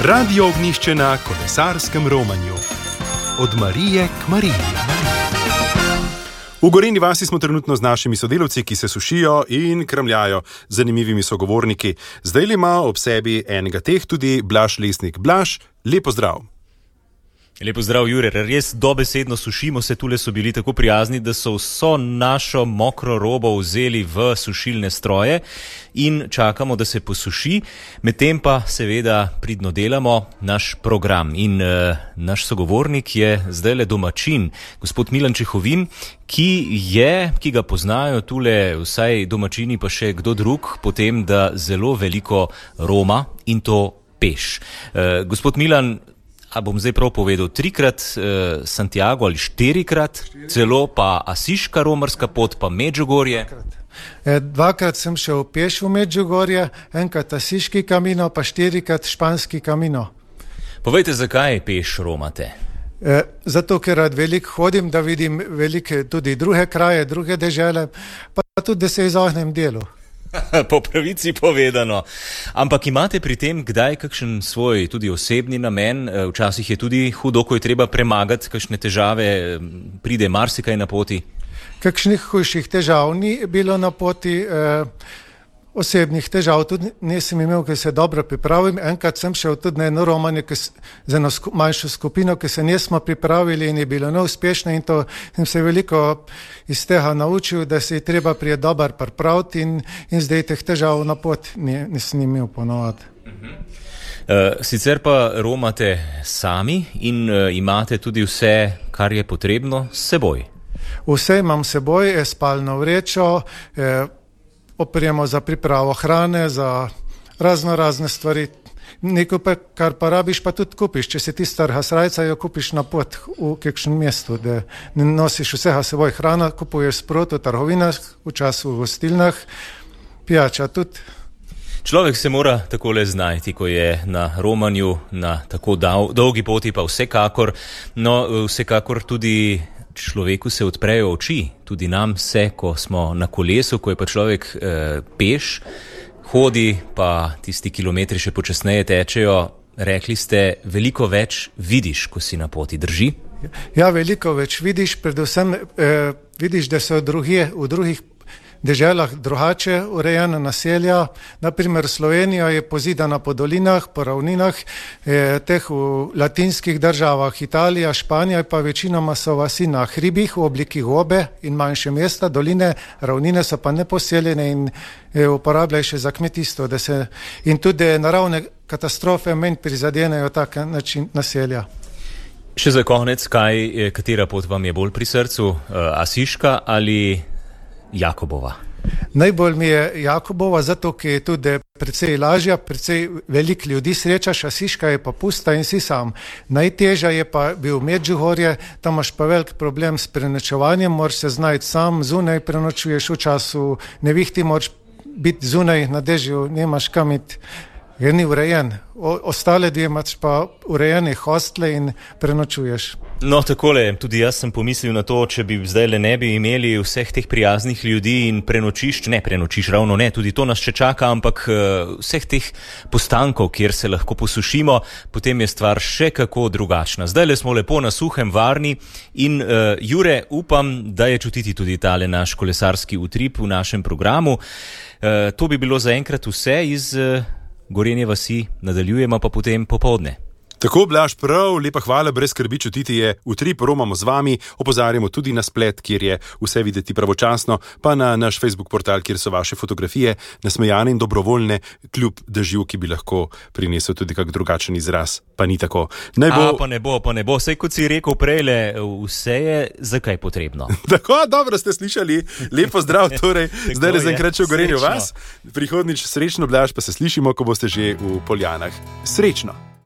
Radio Ognjišče na kolesarskem romanju. Od Marije k Mariji. V Gorenji vasi smo trenutno z našimi sodelavci, ki se sušijo in kramljajo z zanimivimi sogovorniki. Zdaj ima ob sebi enega teh tudi Blaž Lesnik. Blaž, lep pozdrav. Lepo zdrav, Jure. Res dobesedno sušimo se, tule so bili tako prijazni, da so vso našo mokro robo vzeli v sušilne stroje in čakamo, da se posuši. Medtem pa seveda pridno delamo naš program. In naš sogovornik je zdajle domačin, gospod Milan Čehovin, ki ga poznajo tule vsaj domačini, pa še kdo drug, potem da zelo veliko roma in to peš. Gospod Milan, a bom zdaj prav povedal, 3-krat Santiago ali 4-krat, celo pa Asiška romarska pot, pa Medžugorje. 2-krat sem šel peš v Medžugorje, 1-krat Asiški kamino, pa 4-krat Španski kamino. Povejte, zakaj peš romate? Zato, ker rad veliko hodim, da vidim velike tudi druge kraje, druge dežele, pa tudi, da se izognem delu. Po pravici povedano. Ampak imate pri tem kdaj kakšen svoj tudi osebni namen? Včasih je tudi hudo, ko je treba premagati kakšne težave, pride marsikaj na poti? Kakšnih hujših težav ni bilo na poti, osebnih težav tudi nisem imel, ker se dobro pripravim. Enkrat sem šel tudi na eno romanje z eno manjšo skupino, ki se nismo pripravili in je bilo neuspešno, in to sem se veliko iz tega naučil, da se je treba prije dobar pripraviti in zdaj teh težav na pot nisem imel ponovati. Sicer pa romate sami in imate tudi vse, kar je potrebno s seboj. Vse imam s seboj, spalno vrečo, opremo za pripravo hrane, za razne stvari. Nekaj pa, kar pa rabiš, pa tudi kupiš. Če si ti starha srajca, jo kupiš na pot v kakšnem mestu, da ne nosiš vsega seboj. Hrana kupuješ sprot v trgovinah, včasih v gostilnah, pijača tudi. Človek se mora takole znajti, ko je na romanju, na tako dolgi poti, pa vsekakor, no vsekakor tudi človeku se odprejo oči, tudi nam se, ko smo na kolesu, ko je pa človek peš, hodi, pa tisti kilometri še počasneje tečejo. Rekli ste, veliko več vidiš, ko si na poti, drži? Ja, veliko več vidiš, predvsem vidiš, da so v drugih deželah drugače urejena naselja. Naprimer, Slovenija je pozidana po dolinah, po ravninah, teh v latinskih državah, Italija, Španija, pa večinoma so vasi na hribih v obliki gobe in manjše mesta, doline, ravnine so pa neposeljene in uporabljajo še za kmetijstvo, in tudi naravne katastrofe manj prizadenejo tak način naselja. Še za konec, katera pot vam je bolj pri srcu, Asiška ali Jakobova? Najbolj mi je Jakobova, zato ker je tudi precej lažja, precej veliko ljudi srečaš, Asiška je pa pusta in si sam. Najtežja je pa bil Medžugorje, tam imaš pa velik problem s prenočevanjem, moraš se znajti sam, zunaj prenočuješ v času nevihti, moraš biti zunaj na dežju, nemaš kam iti, jer ni urejen. Ostale dve imaš pa urejene hostle in prenočuješ. No, takole, tudi jaz sem pomislil na to, če bi zdaj ne bi imeli vseh teh prijaznih ljudi in prenočišč, ravno ne, tudi to nas še čaka, ampak vseh teh postankov, kjer se lahko posušimo, potem je stvar še kako drugačna. Zdajle smo lepo na suhem, varni in Jure, upam, da je čutiti tudi tale naš kolesarski utrip v našem programu. To bi bilo zaenkrat vse iz Gorenje vasi, nadaljujemo pa potem popoldne. Tako, Blaž, prav, lepa hvala, brez skrbi, čutiti je utrip, romamo z vami, opozarjamo tudi na splet, kjer je vse videti pravočasno, pa na naš Facebook portal, kjer so vaše fotografije nasmejane in dobrovoljne, kljub dežju, ki bi lahko prinesel tudi kak drugačen izraz, pa ni tako. Pa ne bo, saj kot si rekel prejle, vse je zakaj potrebno. Tako, dobro ste slišali, lepo zdrav, torej, zdaj zaenkrat še v Gorenju vas, prihodnič srečno, Blaž, pa se slišimo, ko boste že v Poljanah. Srečno!